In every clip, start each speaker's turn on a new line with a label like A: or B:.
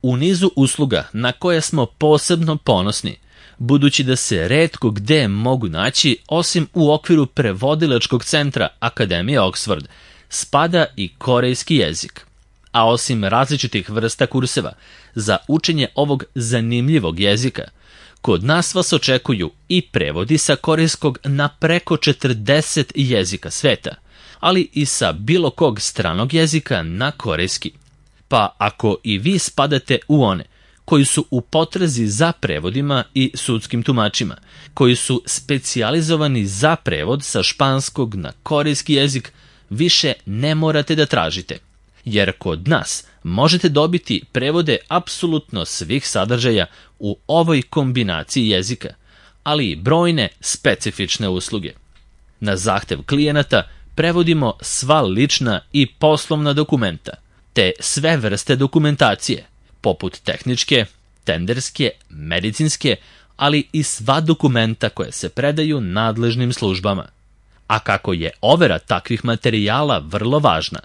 A: u nizu usluga na koje smo posebno ponosni, budući da se retko gde mogu naći osim u okviru prevodilačkog centra Akademije Oxford, spada i korejski jezik. A osim različitih vrsta kurseva za učenje ovog zanimljivog jezika, kod nas vas očekuju i prevodi sa korejskog na preko 40 jezika sveta, ali i sa bilo kog stranog jezika na korejski. Pa ako i vi spadate u one koji su u potrazi za prevodima i sudskim tumačima, koji su specijalizovani za prevod sa španskog na korejski jezik, više ne morate da tražite, jer kod nas možete dobiti prevode apsolutno svih sadržaja u ovoj kombinaciji jezika, ali i brojne specifične usluge. Na zahtev klijenata prevodimo sva lična i poslovna dokumenta, te sve vrste dokumentacije, poput tehničke, tenderske, medicinske, ali i sva dokumenta koje se predaju nadležnim službama. A kako je overa takvih materijala vrlo važna,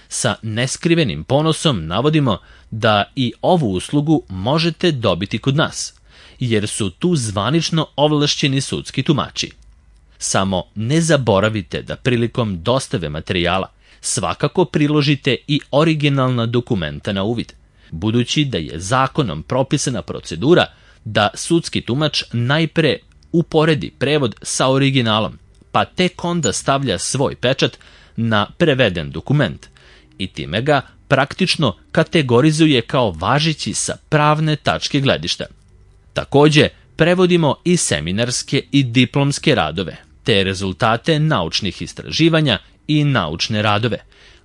A: sa neskrivenim ponosom navodimo da i ovu uslugu možete dobiti kod nas, jer su tu zvanično ovlašćeni sudski tumači. Samo ne zaboravite da prilikom dostave materijala svakako priložite i originalna dokumenta na uvid, budući da je zakonom propisana procedura da sudski tumač najpre uporedi prevod sa originalom, pa tek onda stavlja svoj pečat na preveden dokument i time ga praktično kategorizuje kao važeći sa pravne tačke gledišta. Takođe, prevodimo i seminarske i diplomske radove, te rezultate naučnih istraživanja i naučne radove,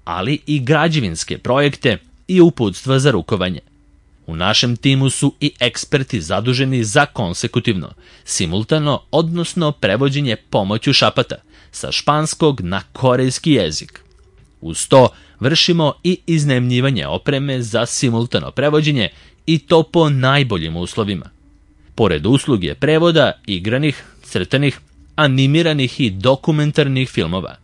A: ali i građevinske projekte i uputstva za rukovanje. U našem timu su i eksperti zaduženi za konsekutivno, simultano, odnosno prevođenje pomoću šapata, sa španskog na korejski jezik. Uz to vršimo i iznajmljivanje opreme za simultano prevođenje i to po najboljim uslovima. Pored usluge prevoda igranih, crtanih, animiranih i dokumentarnih filmova,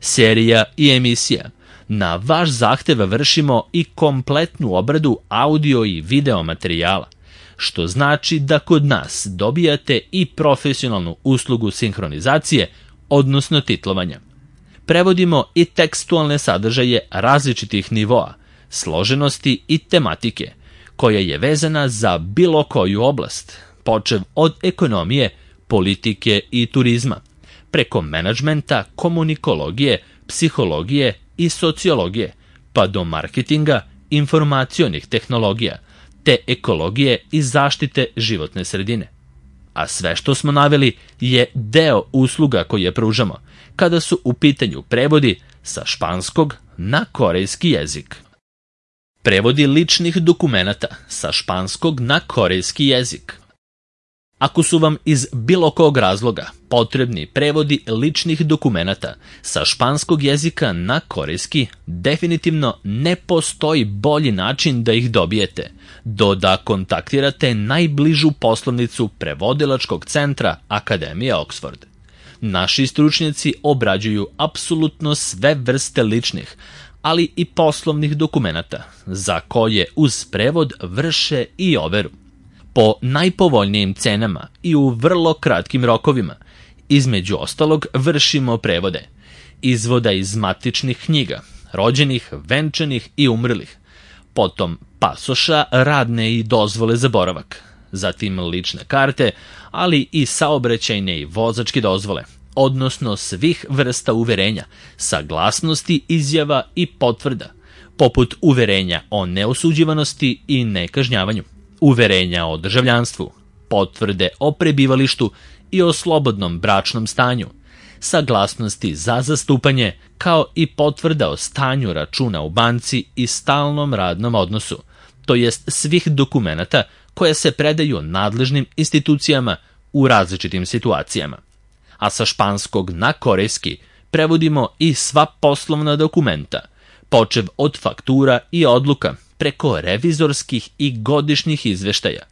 A: serija i emisija, na vaš zahtev vršimo i kompletnu obradu audio i video materijala, što znači da kod nas dobijate i profesionalnu uslugu sinhronizacije, odnosno titlovanja. Prevodimo i tekstualne sadržaje različitih nivoa, složenosti i tematike, koja je vezana za bilo koju oblast, počev od ekonomije, politike i turizma, preko menadžmenta, komunikologije, psihologije i sociologije, pa do marketinga, informacionih tehnologija, te ekologije i zaštite životne sredine. A sve što smo naveli je deo usluga koje pružamo, kada su u pitanju prevodi sa španskog na korejski jezik. Prevodi ličnih dokumenata sa španskog na korejski jezik. Ako su vam iz bilo kog razloga potrebni prevodi ličnih dokumenata sa španskog jezika na korejski, definitivno ne postoji bolji način da ih dobijete, do da kontaktirate najbližu poslovnicu prevodilačkog centra Akademije Oxford. Naši stručnjaci obrađuju apsolutno sve vrste ličnih, ali i poslovnih dokumenata, za koje uz prevod vrše i overu. Po najpovoljnijim cenama i u vrlo kratkim rokovima, između ostalog vršimo prevode izvoda iz matičnih knjiga, rođenih, venčanih i umrlih, potom pasoša, radne i dozvole za boravak, zatim lične karte, ali i saobraćajne i vozačke dozvole, odnosno svih vrsta uverenja, saglasnosti, izjava i potvrda, poput uverenja o neosuđivanosti i nekažnjavanju, uverenja o državljanstvu, potvrde o prebivalištu i o slobodnom bračnom stanju, saglasnosti za zastupanje, kao i potvrda o stanju računa u banci i stalnom radnom odnosu, to jest svih dokumenata koje se predaju nadležnim institucijama u različitim situacijama. A sa španskog na korejski prevodimo i sva poslovna dokumenta, počev od faktura i odluka, preko revizorskih i godišnjih izveštaja,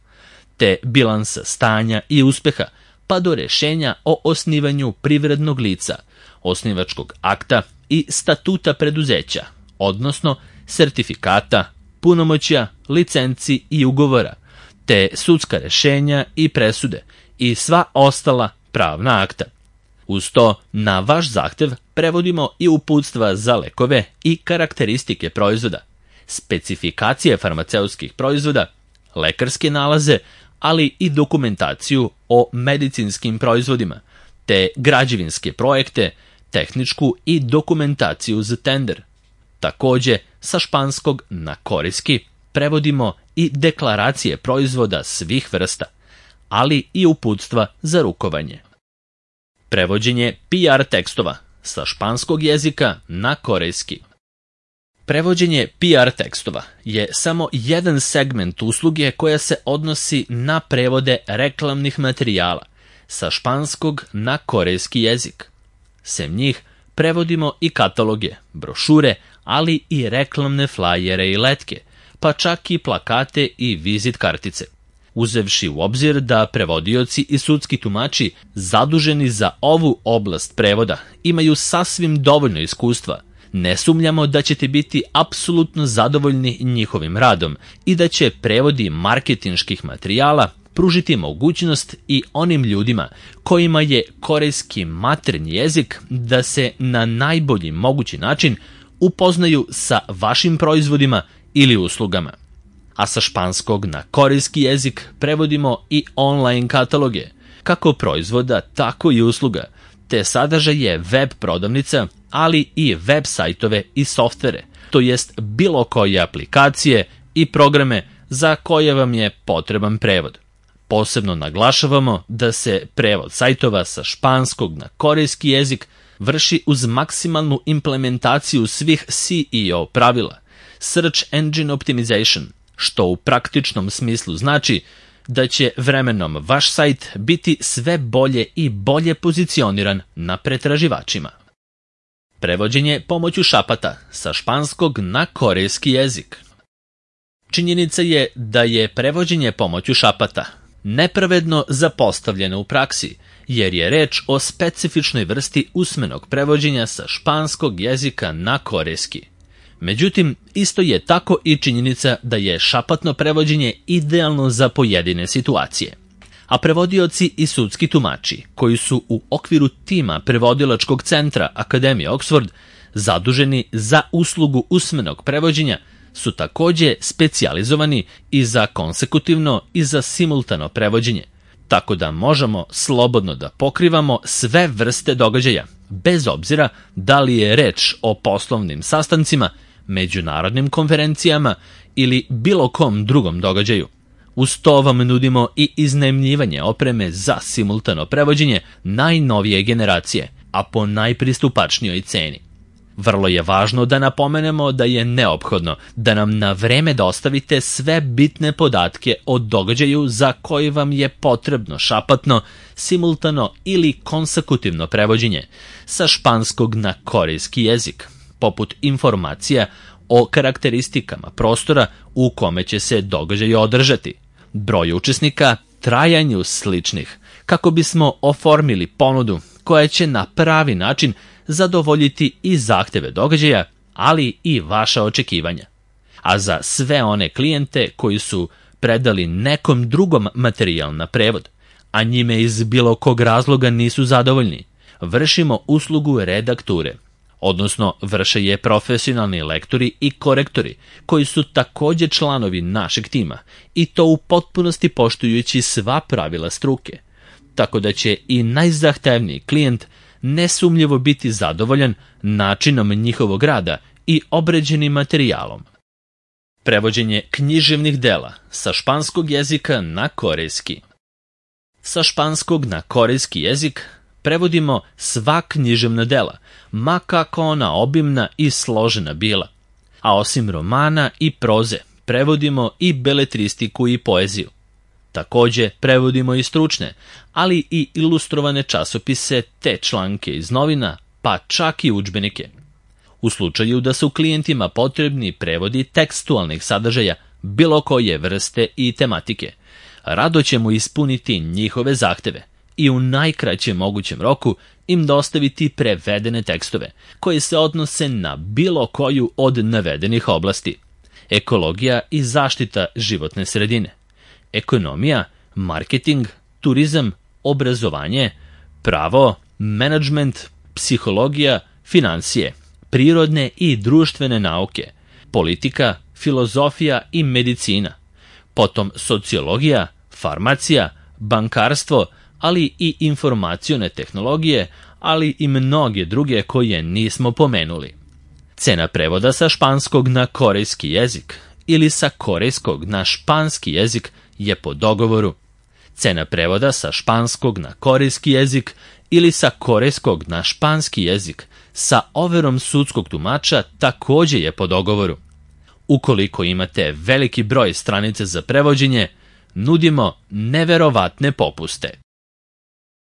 A: te bilansa stanja i uspeha, pa do rešenja o osnivanju privrednog lica, osnivačkog akta i statuta preduzeća, odnosno sertifikata, punomoćja, licenci i ugovora, te sudska rešenja i presude i sva ostala pravna akta. Uz to, na vaš zahtev prevodimo i uputstva za lekove i karakteristike proizvoda, specifikacije farmaceutskih proizvoda, lekarske nalaze, ali i dokumentaciju o medicinskim proizvodima, te građevinske projekte, tehničku i dokumentaciju za tender. Takođe, sa španskog na korejski prevodimo i deklaracije proizvoda svih vrsta, ali i uputstva za rukovanje. Prevođenje PR tekstova sa španskog jezika na korejski. Prevođenje PR tekstova je samo jedan segment usluge koja se odnosi na prevode reklamnih materijala sa španskog na korejski jezik. Sem njih prevodimo i kataloge, brošure, ali i reklamne flajere i letke, pa čak i plakate i vizit kartice. Uzevši u obzir da prevodioci i sudski tumači zaduženi za ovu oblast prevoda imaju sasvim dovoljno iskustva, ne sumnjamo da ćete biti apsolutno zadovoljni njihovim radom i da će prevodi marketinških materijala pružiti mogućnost i onim ljudima kojima je korejski maternji jezik da se na najbolji mogući način upoznaju sa vašim proizvodima ili uslugama. A sa španskog na korejski jezik prevodimo i online kataloge, kako proizvoda, tako i usluga, te sadržaje web prodavnica, ali i web sajtove i softvere, to jest bilo koje aplikacije i programe za koje vam je potreban prevod. Posebno naglašavamo da se prevod sajtova sa španskog na korejski jezik vrši uz maksimalnu implementaciju svih SEO pravila, Search Engine Optimization, što u praktičnom smislu znači da će vremenom vaš sajt biti sve bolje i bolje pozicioniran na pretraživačima. Prevođenje pomoću šapata sa španskog na korejski jezik. Činjenica je da je prevođenje pomoću šapata nepravedno zapostavljeno u praksi, jer je reč o specifičnoj vrsti usmenog prevođenja sa španskog jezika na korejski. Međutim, isto je tako i činjenica da je šapatno prevođenje idealno za pojedine situacije. A prevodioci i sudski tumači, koji su u okviru tima prevodilačkog centra Akademije Oxford zaduženi za uslugu usmenog prevođenja, su takođe specijalizovani i za konsekutivno i za simultano prevođenje, tako da možemo slobodno da pokrivamo sve vrste događaja, bez obzira da li je reč o poslovnim sastancima, međunarodnim konferencijama ili bilo kom drugom događaju. Uz to vam nudimo i iznajmljivanje opreme za simultano prevođenje najnovije generacije, a po najpristupačnijoj ceni. Vrlo je važno da napomenemo da je neophodno da nam na vreme dostavite sve bitne podatke o događaju za koji vam je potrebno šapatno, simultano ili konsekutivno prevođenje sa španskog na korejski jezik, poput informacija o karakteristikama prostora u kome će se događaj održati, broj učesnika, trajanju sličnih, kako bismo oformili ponudu koja će na pravi način zadovoljiti i zahteve događaja, ali i vaša očekivanja. A za sve one klijente koji su predali nekom drugom materijal na prevod, a njime iz bilo kog razloga nisu zadovoljni, vršimo uslugu redakture, odnosno vrše je profesionalni lektori i korektori koji su takođe članovi našeg tima i to u potpunosti poštujući sva pravila struke, tako da će i najzahtevniji klijent nesumnjivo biti zadovoljan načinom njihovog rada i obrađenim materijalom. Prevođenje književnih dela sa španskog jezika na korejski. Sa španskog na korejski jezik prevodimo sva književna dela, ma kako ona obimna i složena bila. A osim romana i proze, prevodimo i beletristiku i poeziju. Takođe, prevodimo i stručne, ali i ilustrovane časopise te članke iz novina, pa čak i udžbenike. U slučaju da su klijentima potrebni prevodi tekstualnih sadržaja bilo koje vrste i tematike, rado ćemo ispuniti njihove zahteve i u najkraćem mogućem roku im dostaviti prevedene tekstove koji se odnose na bilo koju od navedenih oblasti. ekologija i zaštita životne sredine, ekonomija, marketing, turizam, obrazovanje, pravo, menadžment, psihologija, finansije, prirodne i društvene nauke, politika, filozofija i medicina, potom sociologija, farmacija, bankarstvo, ali i informacione tehnologije, ali i mnoge druge koje nismo pomenuli. Cena prevoda sa španskog na korejski jezik ili sa korejskog na španski jezik je po dogovoru. Cena prevoda sa španskog na korejski jezik ili sa korejskog na španski jezik sa overom sudskog tumača takođe je po dogovoru. Ukoliko imate veliki broj stranica za prevođenje, nudimo neverovatne popuste.